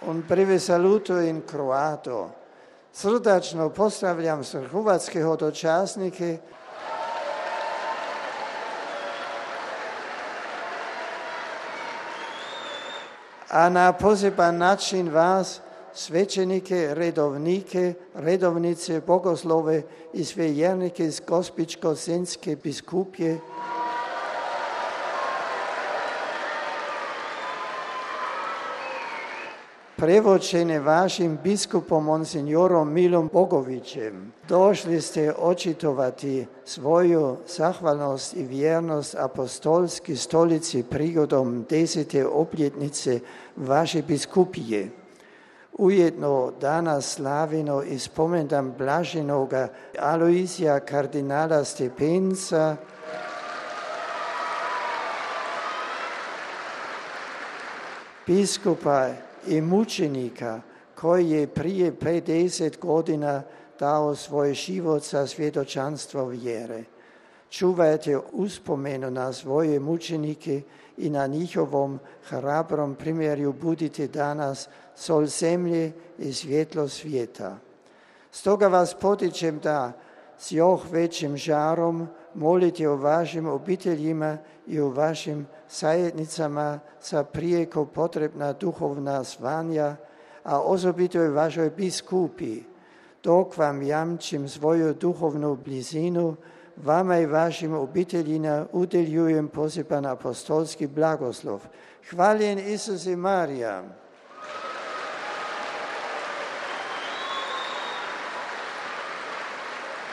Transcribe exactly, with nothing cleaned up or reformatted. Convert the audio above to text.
Un breve saluto in croato. Srdačno pozdravljam sve hrvatske hodočasnike a na poseban način vas, svećenike, redovnike, redovnice, bogoslove i sve vjernike iz Gospićko-senjske biskupije, prevočene vašim biskupom monsignorom Milom Bogovićem. Došli ste očitovati svoju zahvalnost i vjernost apostolski stolici prigodom desete obljetnice vaše biskupije. Ujedno danas slavimo i spomendan blaženoga Aloizija kardinala Stepenca, biskupa i mučenika koji je prije pedeset godina dao svoj život za svjedočanstvo vjere. Čuvajte uspomenu na svoje mučenike i na njihovom hrabrom primjeru budite danas sol zemlje i svjetlo svijeta. Stoga vas potičem da s još većim žarom molite o vašim obiteljima i o vašim zajednicama za prijeko potrebna duhovna zvanja, a osobito i vašoj biskupi, dok vam jamčim svoju duhovnu blizinu, vama i vašim obiteljima udjeljujem poseban apostolski blagoslov. Hvaljen Isus i Marija.